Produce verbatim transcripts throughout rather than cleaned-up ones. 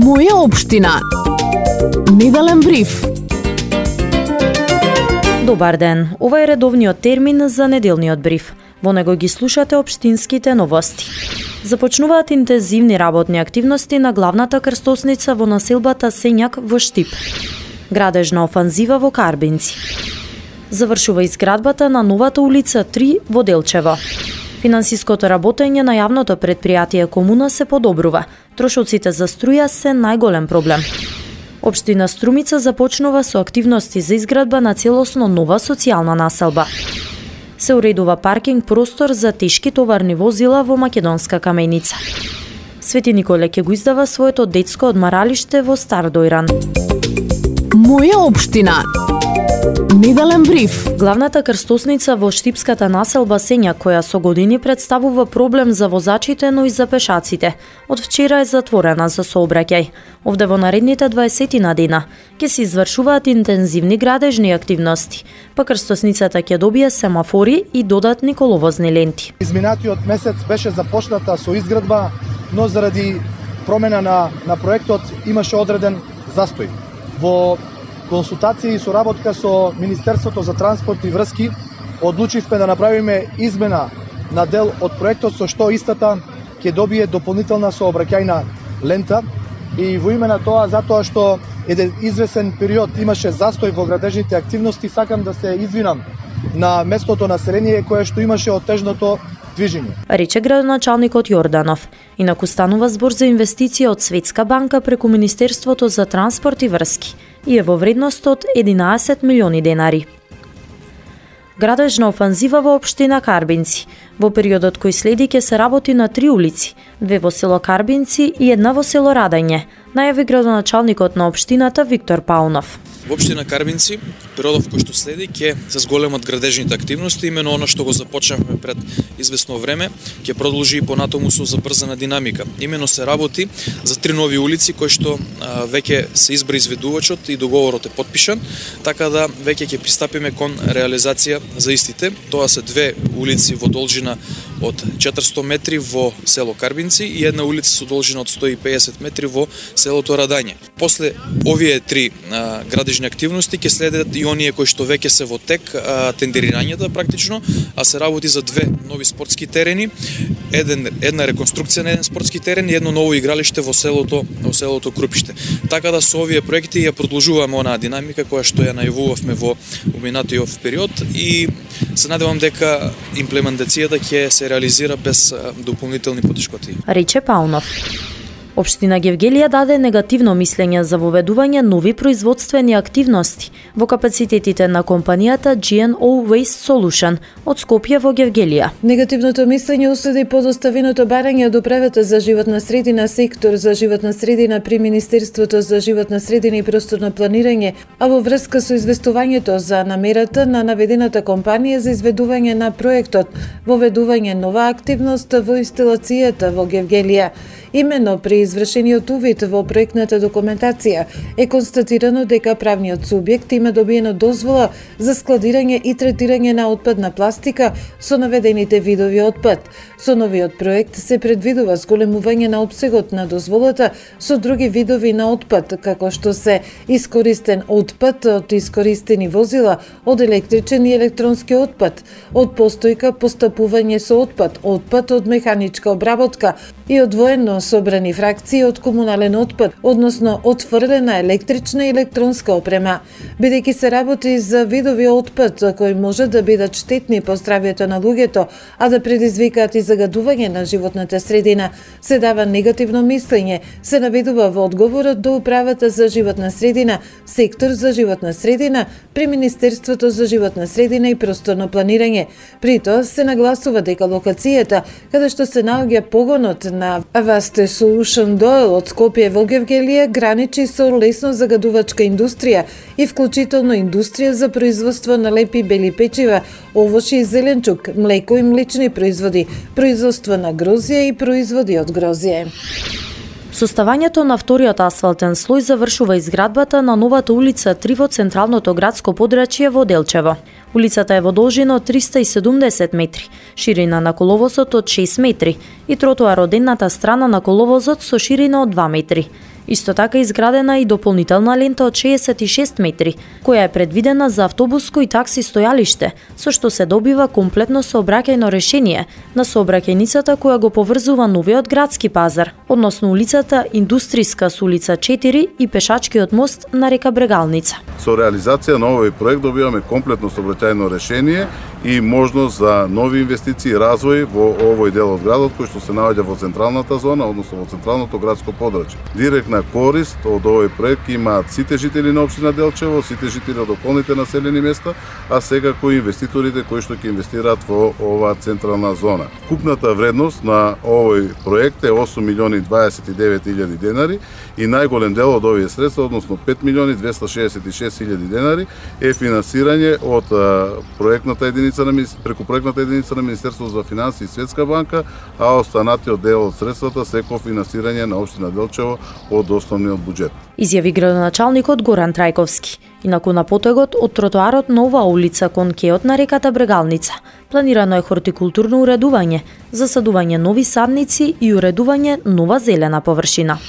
Моја општина. Неделен бриф. Добар ден. Ова е редовниот термин за неделниот бриф. Во него ги слушате општинските новости. Започнуваат интензивни работни активности на главната крстосница во населбата Сењак во Штип. Градежна офанзива во Карбинци. Завршува изградбата на новата улица три во Делчево. Финансиското работење на јавното предпријатие Комуна се подобрува. Трошоците за струја се најголем проблем. Општина Струмица започнува со активности за изградба на целосно нова социјална населба. Се уредува паркинг простор за тешки товарни возила во Македонска Каменица. Свети Николе ќе го издава своето детско одмаралиште во Стар Дојран. Моја општина. Неделен бриф. Главната крстосница во штипската населба Сењак, која со години представува проблем за возачите, но и за пешаците, од вчера е затворена за сообраќај. Овде во наредните дваесет дена ќе се извршуваат интензивни градежни активности, па крстосницата ќе добие семафори и додатни коловозни ленти. Изминатиот месец беше започната со изградба, но заради промена на, на проектот имаше одреден застој. Во консултации и соработка со Министерството за транспорт и врски одлучивме да направиме измена на дел од проектот, со што истата ќе добие дополнителна сообраќајна лента, и во име на тоа, затоа што еден извесен период имаше застој во градежните активности, сакам да се извинам на местното население кое што имаше оттежното движење. Рече градоначалникот Јорданов. Инаку станува збор за инвестиција од Светска банка преку Министерството за транспорт и врски и е во вредност од единаесет милиони денари. Градежна офанзива во општина Карбинци. Во периодот кој следи ќе се работи на три улици, две во село Карбинци и една во село Радање, најави градоначалникот на општината Виктор Паунов. Во општина Карбинци, периодов кој што следи ќе се зголемат градежните активности, имено она што го започнавме пред известно време, ќе продолжи и понатаму со забрзана динамика. Имено се работи за три нови улици кои што а, веќе се избра изведувачот и договорот е потпишан, така да веќе ќе пристапиме кон реализација за истите. Тоа се две улици во должина од четиристотини метри во село Карбинци и една улица со должина од сто и педесет метри во селото Радање. После овие три а, градежни активности ќе следат и оние кои што веќе се во тек, а, тендерирањата практично, а се работи за две нови спортски терени, еден една реконструкција на еден спортски терен и едно ново игралиште во селото во селото Крупиште. Така да со овие проекти ја продолжуваме онаа динамика која што ја најавувавме во поминатиот период и се надевам дека имплементацијата ќе се реализира без дополнителни потешкоти. Рече Паунов. Општина Гевгелија даде негативно мислење за воведување нови производствени активности во капацитетите на компанијата Джи Ен О Waste Solution од Скопје во Гевгелија. Негативното мислење уследи подоставеното барање од управата за животна средина, сектор за животна средина при Министерството за животна средина и просторно планирање, а во врска со известувањето за намерата на наведената компанија за изведување на проектот воведување нова активност во инсталацијата во Гевгелија. Именно при извршениот увид во проектната документација е констатирано дека правниот субјект има добиено дозвола за складирање и третирање на отпадна пластика со наведените видови отпад. Со новиот проект се предвидува зголемување на опсегот на дозволата со други видови на отпад, како што се искористен отпад од искористени возила, од електричен и електронски отпад, од постојка постапување со отпад, отпад од механичка обработка и одвоено собрани фракции од комунален отпад, односно отфрлена електрична и електронска опрема. Бидејќи се работи за видови отпад кои може да бидат штетни по здравјето на луѓето, а да предизвикаат и загадување на животната средина, се дава негативно мислење, се наведува во одговорот до управата за животна средина, сектор за животна средина при Министерството за животна средина и просторно планирање. При тоа се нагласува дека локацијата каде што се наоѓа погонот на Waste Solution Дойл од Скопје во Гевгелија граничи со лесно загадувачка индустрија и вклучително индустрија за производство на лепи бели печива, овошји и зеленчук, млеко и млечни производи, производство на грозје и производи од грозје. Составањето на вториот асфалтен слој завршува изградбата на новата улица три во централното градско подрачје во Делчево. Улицата е во должина од триста и седумдесет метри, ширина на коловозот од шест метри и тротоар од едната страна на коловозот со ширина од два метри. Исто така изградена и дополнителна лента од шеесет и шест метри, која е предвидена за автобуско и такси стојалиште, со што се добива комплетно сообраќајно решение на сообраќајницата која го поврзува новиот градски пазар, односно улицата Индустријска со улица четири и пешачкиот мост на река Брегалница. Со реализација на овој проект добиваме комплетно сообраќајно решение и можност за нови инвестиции и развој во овој дел од градот кој што се наоѓа во централната зона, односно во централното градско подрачје. Директна корист од овој проект имаат сите жители на општина Делчево, сите жители од околните населени места, а секако инвеститорите кои што ќе инвестираат во оваа централна зона. Купната вредност на овој проект е осум милиони дваесет и девет илјади денари и најголем дел од овие средства, односно пет милиони двесте шеесет и шест илјади денари, е финансирање од проектната единица на преку проектната единица на Министерството за финансии и Светска банка, а останатиот дел од средствата се кофинансирање на општина Делчево од основниот буџет. Изјави градоначалникот Горан Трајковски. Инаку на потегот од тротоарот на оваа улица кон кеот на реката Брегалница планирано е хортикултурно уредување, засадување нови садници и уредување нова зелена површина.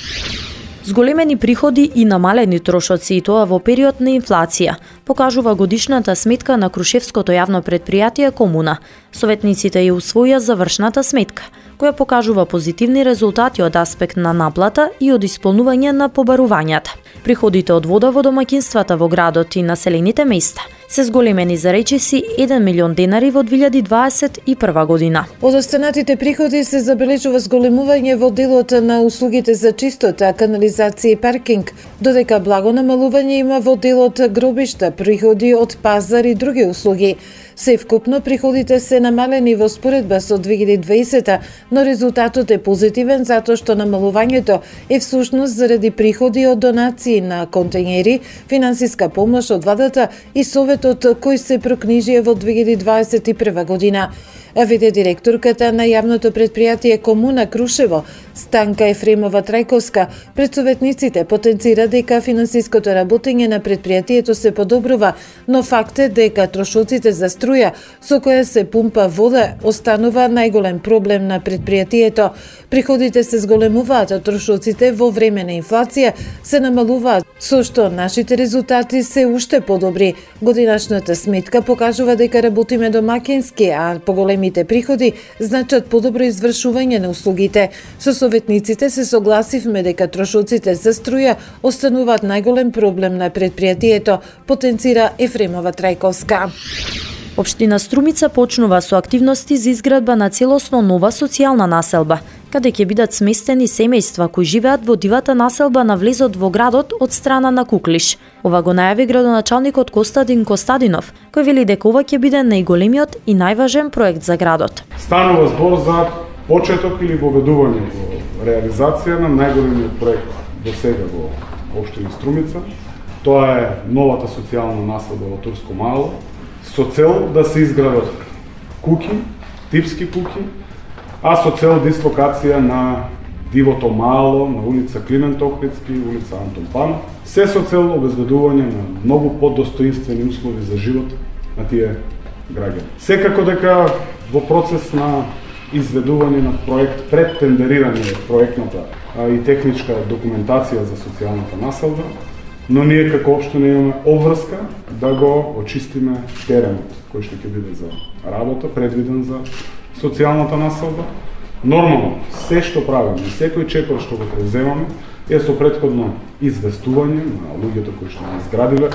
Зголемени приходи и намалени трошоци, и тоа во период на инфлација, покажува годишната сметка на Крушевското јавно предпријатие Комуна. Советниците ја усвоја завршната сметка, која покажува позитивни резултати од аспект на наплата и од исполнување на побарувањата. Приходите од вода во домаќинствата во градот и населените места се зголемени за речиси еден милион денари во две илјади дваесет и прва година. Од останатите приходи се забележува зголемување во делот на услугите за чистота, канализација и паркинг, додека благо намалување има во делот гробишта, приходи од пазар и други услуги. Севкупно приходите се намалени во споредба со две илјади дваесета, но резултатот е позитивен затоа што намалувањето е всушност заради приходи од донации на контејнери, финансиска помош од владата и советот кој се прокнижија во две илјади дваесет и прва година. Веде директорката на јавното предпријатие Комуна Крушево, Станка Ефремова Трајковска, пред советниците потенцира дека финансиското работење на предпријатието се подобрува, но факт е дека трошоците за струја со која се пумпа вода останува најголем проблем на предпријатието. Приходите се зголемуваат, а трошоците во време на инфлација се намалуваат, со што нашите резултати се уште подобри. Годинашната сметка покажува дека работиме домакински, а поголемите приходи значат подобро извршување на услугите. Со советниците се согласивме дека трошоците за струја остануваат најголем проблем на предпријатието, потенцира Ефремова Трајковска. Општина Струмица почнува со активности за изградба на целосно нова социјална населба, каде ќе бидат сместени семејства кои живеат во дивата населба на влезот во градот од страна на Куклиш. Ова го најави градоначалникот Костадин Костадинов, кој вели дека ова ќе биде најголемиот и најважен проект за градот. Станува збор за почеток или воведување во реализација на најголемиот проект до сега во општина Струмица. Тоа е новата социјална населба во Турско Мало, со цел да се изградат куќи, типски куќи, а со цел дислокација на дивото мало, на улица Климент Охридски, улица Антон Панов, се со цел обезбедување на многу подостоинствени услови за живот на тие граѓани. Секако дека во процес на изведување на проект пред тендерирање проектната и техничка документација за социјалната населба, но ние како општина имаме обврска да го очистиме теренот кој што ќе биде за работа, предвиден за социјалната населба. Нормално, се што правиме, секој чекор што го преземаме е со претходно известување на луѓето кои што ги изградиле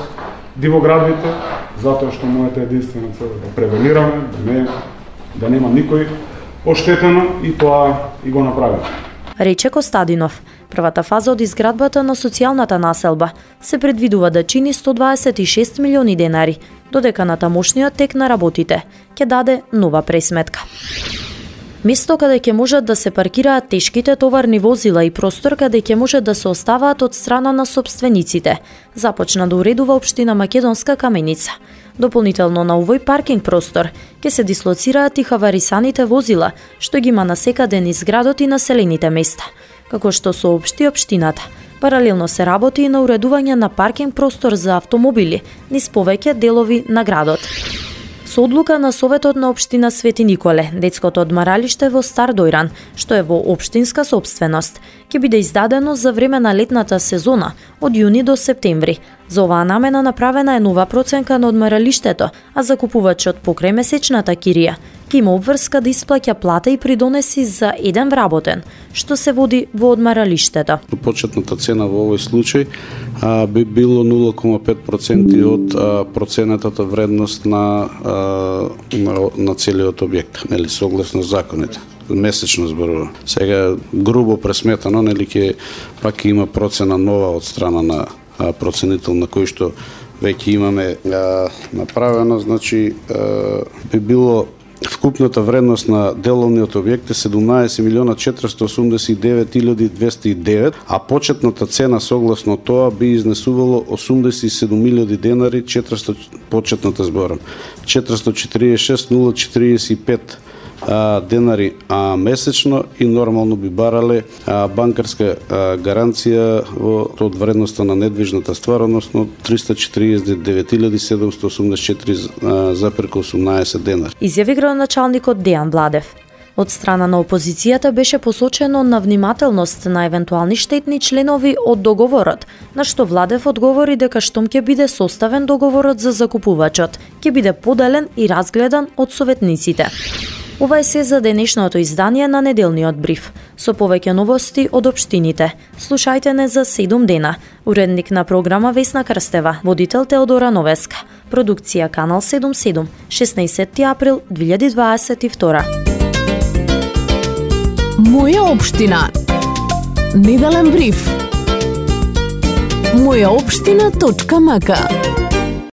дивоградбите, затоа што мојата единствена цел е да превенираме, да не да нема никој оштетено и тоа и го направиме. Рече Костадинов. Првата фаза од изградбата на социјалната населба се предвидува да чини сто дваесет и шест милиони денари, додека на тамошниот тек на работите ќе даде нова пресметка. Место каде ќе можат да се паркираат тешките товарни возила и простор каде ќе може да се оставаат од страна на собствениците, започна да уредува општина Македонска Каменица. Дополнително на овој паркинг простор ќе се дислоцираат и хаварисаните возила, што ги има насекаде низ градот и населените места, како што соопшти општината. Паралелно се работи и на уредување на паркинг простор за автомобили низ повеќе делови на градот. Со одлука на Советот на општина Свети Николе, детското одмаралиште во Стар Дојран, што е во општинска собственост, ќе биде издадено за време на летната сезона од јуни до септември. За оваа намена направена е нова проценка на одмаралиштето, а закупувачот покрај месечната кирија ќе има обврска да исплаќа плата и придонеси за еден вработен, што се води во одмаралиштето. Почетната цена во овој случај а, би било нула кома пет проценти од а, проценатата вредност на, а, на, на целиот објект, нели, согласно законите. Месечно зборува. Сега грубо пресметано, нели, ќе пак има процена нова од страна на а, проценител на кој што веќе имаме а, направено, значи а, би било вкупната вредност на деловниот објект е седумнаесет милиона четиристо осумдесет и девет илјади двесте и девет, а почетната цена согласно тоа би изнесувало осумдесет и седум илјади денари, четиристо почетната зборам, четиристо четиридесет и шест милиони четиридесет и пет а, денари а, месечно и нормално би барале а, банкарска а, гаранција во, од вредноста на недвижната ствар, односно триста четиридесет и девет илјади седумстотини осумдесет и четири зарез осумнаесет денари. Изјави градоначалникот Дејан Бладев. Од страна на опозицијата беше посочено на внимателност на евентуални штетни членови од договорот, на што Владев одговори дека штом ќе биде составен договорот за закупувачот, ќе биде поделен и разгледан од советниците. Ова е се за денешното издание на неделниот бриф. Со повеќе новости од општините. Слушајте не за седум дена. Уредник на програма Весна Крстева, водител Теодора Новеска. Продукција Канал седумдесет и седум, шеснаесетти април две илјади дваесет и втора. Моја општина. Неделен бриф. моја општина точка м к